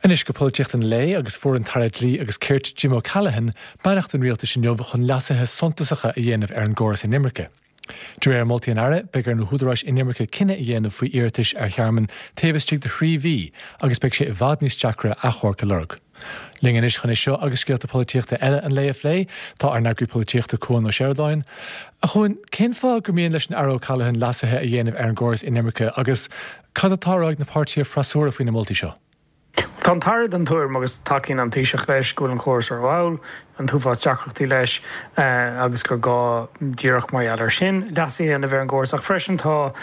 Anois go polaitíocht an lae agus fuair an tAire Dlí agus Cirt Jim O'Callaghan beannacht an rialtais inniu chun leasuithe suntasacha a dhéanamh ar an gcóras inimirce. De réir moltaí an Aire, beidh ar na húdaráis inimirce cinneadh a dhéanamh faoi iarratais ar thearmann taobh istigh de thrí mhí agus beidh sé i bhfad níos deacra achomharc a lorg. Linn anois chun é seo agus scéalta polaitíochta eile an lae a phlé, tá ár n-eagraí polaitíochta Cuan Ó Seireadáin. A Chuain, cén fáth gur mian leis an Aire O'Callaghan leasuithe a dhéanamh ar an gcóras inimirce agus Cad atá á rá ag na páirtithe freasúra faoi na moltaí seo? Tá an tAire den tuairim, agus tacaíonn an Taoiseach leis, go bhfuil an córas rómhall, an t-uafás deacrachtaí leis agus gur gá, díreach mar gheall air sin, leasuithe a dhéanamh ar an gcóras. Ach freisin tá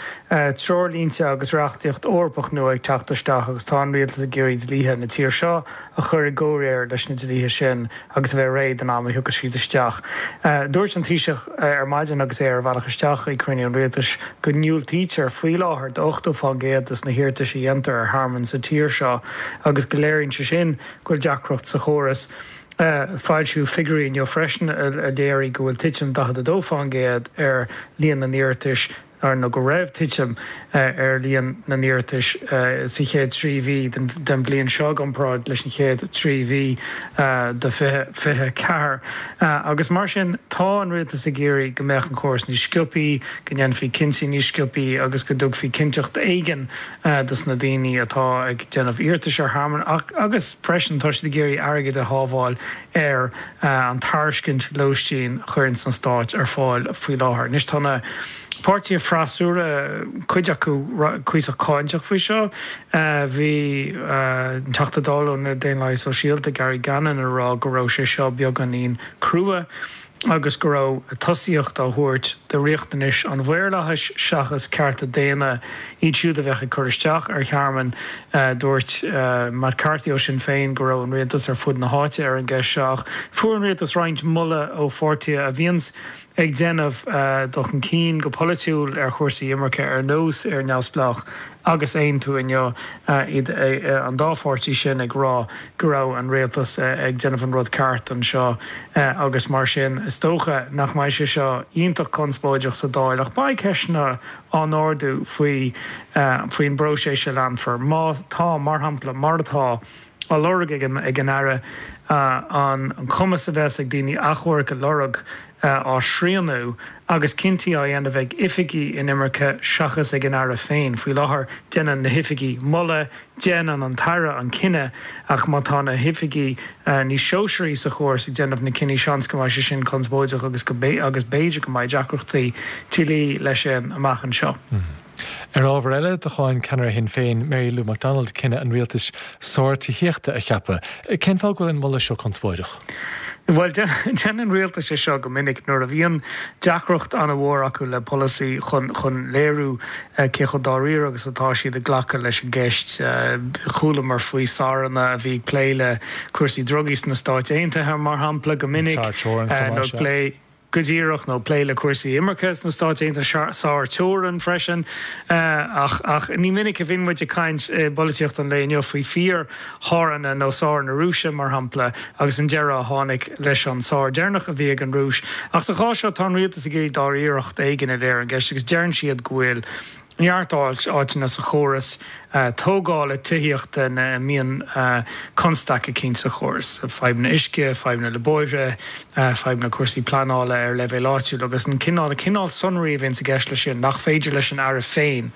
treoirlínte agus reachtaíocht Eorpach nua ag teacht isteach agus tá an Rialtas ag iarraidh dlíthe na tíre seo a chur i gcomhréir leis na dlíthe sin agus a bheith réidh don am a thiocfas siad isteach. Dúirt an Taoiseach ar maidin agus é ar a bhealach isteach chuig cruinniú an Rialtais go ndiúltaítear faoi láthair do 80% de na hiarratais a dhéantar ar thearmann sa tír seo agus go léiríonn sé sin go bhfuil deacracht sa chóras. Foilsíodh figiúirí inniu freisin a léirigh go bhfuil titim 42% ar líon na n-iarratais nó go raibh titim ar líon na n-iarratais sa chéad 3 mhí den bhliain seo i gcomparáid leis an chéad 3 mhí de 2024. Agus mar sin, tá an rialtas ag iarraidh go mbeadh an córas níos sciobthaí, go ndéanfaí cinntí níos sciobthaí agus go dtugfaí cinnteacht éigin dos na daoine atá ag déanamh iarratais ar thearmann agus freisin tá siad ag iarraidh airgead a shábháil ar an tairiscint lóistín a chuireanns an Stáit ar fáil faoi láthair. Anois tá na páirtithe freasúra, cuid acu cuíosach cáinteach faoi seo. Bhí an Teachta Dála ó na Daonlathaithe Sóisialta, Gary Gannon, ag rá go raibh sé seo beagáinín crua agus go raibh tosaíocht á thabhairt do riachtanais an mhaorlathais seachas cearta daonna iad siúd a bheadh ag cur isteach ar thearmann. Dúirt Matt Carthy ó Sinn Féin go raibh an rialtas ar fud na háite ar an gceist seo ach fuair an rialtas roinnt moladh ó pháirtithe a bhíonns ag déanamh dul chun cinn go polaitiúil ar chúrsaí imirce ar nós Éire Neamhspleách agus Aontú inniu, iad an dá pháirtí sin ag rá go raibh an rialtas ag déanamh an rud ceart anseo agus mar sin is dócha nach mbeidh sé seo iontach conspóideach sa Dáil ach beidh ceisteanna á n-ardú faoi faoin bpróiseas a leanfar má tá, mar shampla, mar atá á lorg ag an Aire an cumas a bheas ag daoine achomharc a lorg á shrianadh agus cinntí á dhéanamh ag oifigigh inimirce seachas ag an Aire féin. Faoi láthair déanann na hoifigigh moladh, déanann an tAire an cinneadh ach má tá na hoifigigh níos sóisearaí sa chóras ag déanamh na cinní seans go mbeidh sé sin conspóideach agus agus b'fhéidir go mbeidh deacrachtaí dlí leis sin amach anseo. Ar ábhar eile, do cháin ceannaire Shinn Féin, Mary Lou McDonald cinneadh an rialtais sár tithíochta a cheapadh. Cén fáth go bhfuil an moladh seo conspóideach? Bhuel, déanann rialtais é seo go minic nuair a bhíonn deacracht an-mhór acu le polasaí chun chun léiriú cé chomh dáiríre agus atá siad ag glacadh leis an gceist. Chualamar faoi SARanna a bhí ag plé le cúrsaí drugaí sna Stáit Aontaithe, mar shampla, go minic, nó ag plé. Go díreach, nó plé le cúrsaí imirce sna Stáit Aontaithe, SAR teorann freisin. Ach ach ní minic a bhíonn muid ag caint i bpolaitíocht an lae inniu faoi fíor-SARanna nó SAR na Rúise, mar shampla, agus an deireadh a tháinig leis an SAR deireanach a bhí ag an Rúis. Ach sa chás seo, tá an rialtas ag iarraidh dáiríreacht éigin a léiriú ar an gceist agus deireann siad go bhfuil neart áiteanna sa chóras tógála tithíochta ina mbíonn constaic eicínt sa chóras, fadhbanna uisce, fadhbanna le bóithre, fadhbanna cúrsaí pleanála ar leibhéal áitiúil agus an cineál, cineál sonraí a bhíonns i gceist leis sin nach féidir leis an Aire féin,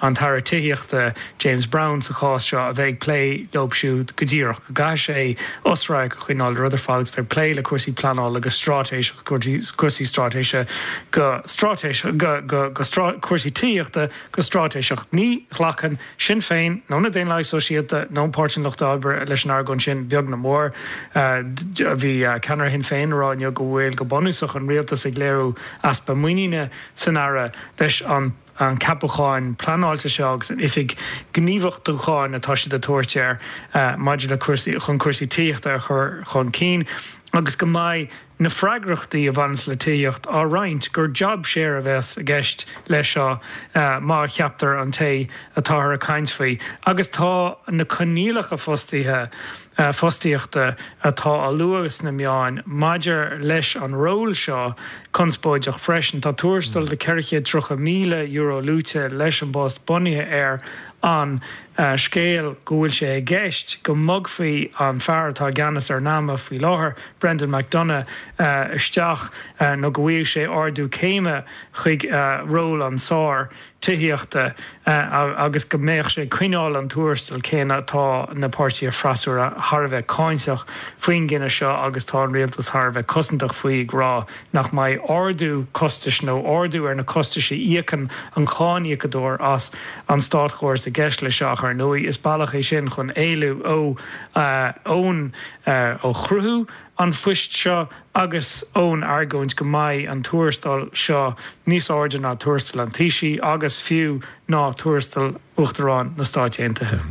an tAire Tithíochta, James Browne sa chás seo, a bheith ag plé leo siúd go díreach, go gcaithfidh sé osradharc a choinneáil ar rud ar fad agus bheith ag plé le cúrsaí pleanála go straitéiseach. cúrsaí straitéise go straitéiseach, go, go, go cúrsaí tithíochta go straitéiseach. Ní ghlacann Sinn Féin nó na Daonlathaigh Sóisialta nó Páirtí an Lucht Oibre leis an argóint sin, beag ná mór. Bhí ceannaire Shinn Féin ag rá inniu go bhfuil, go bunúsach, an rialtas ag léiriú easpa muiníne san Aire leis an an ceapachán pleanáilte seo agus an oifig gníomhachtúcháin atá siad ag tabhairt air maidir le cúrsaí, chun cúrsaí tithíochta a chur chun cinn agus go mbeidh na freagrachtaí a bhaineanns le tithíocht á roinnt, gur job share a bheas i gceist leis seo má cheaptar an té atáthar ag caint faoi agus tá na coinníollacha fostaithe, fostaíochta atá á lua sna meáin maidir leis an ról seo conspóideach freisin. Tá tuarastal de €430,000 luaite leis an bpost bunaithe ar an. scéal go bhfuil sé i gceist go mbogfaí an fear atá i gceannas ar NAMA faoi láthair, Brendan McDonagh, isteach nó go bhfaigheadh sé ardú céime chuig ról an tSáir Tithíochta agus go mbeadh sé ag coinneáil an tuarastail céanna. Tá na páirtithe freasúra thar a bheith cáinteach faoin gcinneadh seo agus tá an rialtas thar a bheith cosantach faoi ag rá nach mbeidh ardú costais nó ardú ar na costais a íocann an cáiníocadóir as an státchóras i gceist leis seo ach ar ndóigh is bealach é sin chun éalú ó ón ó chruthú an phoist seo agus ón argóint go mbeidh an tuarastal seo níos airde ná tuarastal an Taoisigh agus fiú ná tuarastal Uachtarán na Stáit Aontaithe.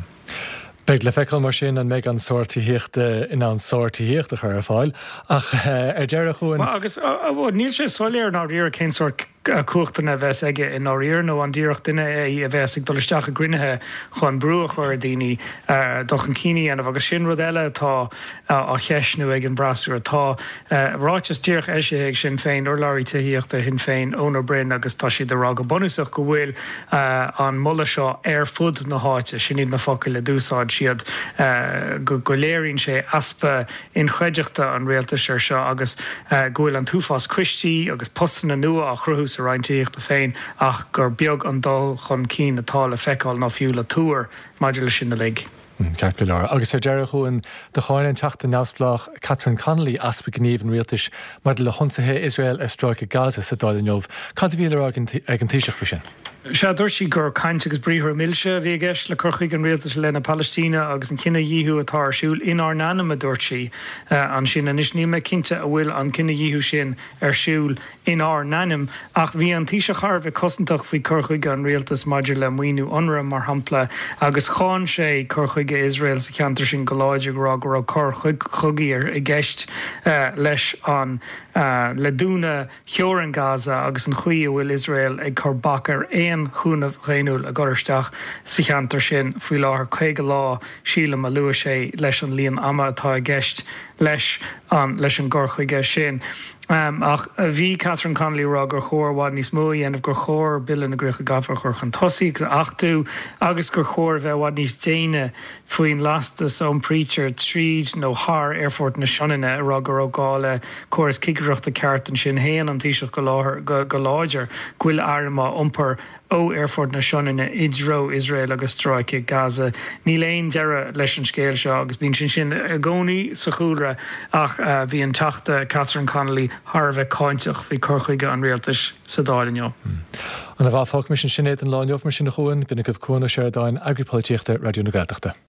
Beidh le feiceáil mar sin an mbeidh an Sáir Tithíochta in ann sár-tithíocht a chur ar fáil. Ach ar deireadh, a Chuain. Agus níl sé soiléir i ndáiríre cén sórt cumhachtanna a bheas aige i ndáiríre nó an díreach duine é a bheas ag dul isteach i gcruinnithe chun brú a chur ar dhaoine dul chun cinn a dhéanamh agus sin rud eile atá á cheistniú ag an bhfreasúra. Tá ráiteas díreach eisithe ag Sinn Féin, urlabhraí tithíochta Shinn Féin, Eoin Ó Broin agus tá siad ag rá go bunúsach go bhfuil an moladh seo ar fud na háite, sin iad na focail a d'úsáid siad, go léiríonn sé easpa inchreidteachta an rialtais air seo agus go bhfuil an t-uafás coistí agus postanna nua á chruthú sa Roinn Tithíochta féin ach gur beag an dul chun cinn atá le feiceáil nó fiú le tuar maidir leis sin uilig. Ceart go leor. Agus ar deireadh, a Chuain, do cháin an Teachta neamhspleách Catherine Connolly easpa gnímh an rialtais maidir le hionsaithe Iosrael ar stráice Gaza sa Dáil inniu. Cad a bhí le rá ag an Taoiseach faoi sin? Sea, dúirt sí gur caint agus briathra milse a bhí i gceist le cur chuige an rialtais i leith na Palaistíne agus an cinedhíothú atá ar siúl inár n-ainm, a dúirt sí ansin. Anois, níl mé cinnte an bhfuil an cinedhíothú sin ar siúl inár n-ainm, ach bhí an Taoiseach thar a bheith cosantach faoi cur chuige an rialtais maidir le maoiniú Unrwa, mar shampla, agus cháin sé cur chuige Iosrael sa cheantar sin go láidir, ag rá go raibh coir chogaidh i gceist leis an le dúnadh theorainn Gaza agus an chaoi a bhfuil Iosrael ag cur bac ar aon chúnamh dhaonnúil a dhul isteach sa cheantar sin faoi láthair, 50 lá, sílim, a luaigh sé leis an líon ama atá i gceist leis an leis an gcur chuige sin. Ach bhí Catherine Connolly ag rá gur chóir i bhfad níos mó a dhéanamh, gur chóir Bille na gCríocha Gafa a chur chun tosaigh agus a achtú agus gur chóir a bheith i bhfad níos déine faoin lastas a iompraítear tríd nó thar Aerfort na Sionainne, ag rá go raibh gá le córas cigireachta ceart ansin. Shéan an Taoiseach go láthair go láidir go bhfuil airm á iompar ó Aerfort na Sionainne i dtreo Iosrael agus stráice Gaza. Níl aon deireadh leis an scéal seo agus bíonn sin sin i gcónaí sa chúlra ach bhí an Teachta Catherine Connolly thar a bheith cáinteach faoi cur chuige an rialtais sa Dáil inniu. Ana mhaith, fágfaimis ansin é don lá inniu mar sin a Chuain. B'in agaibh Cuan Ó Seireadáin, Eagraí Polaitíochta Raidió na Gaeltachta.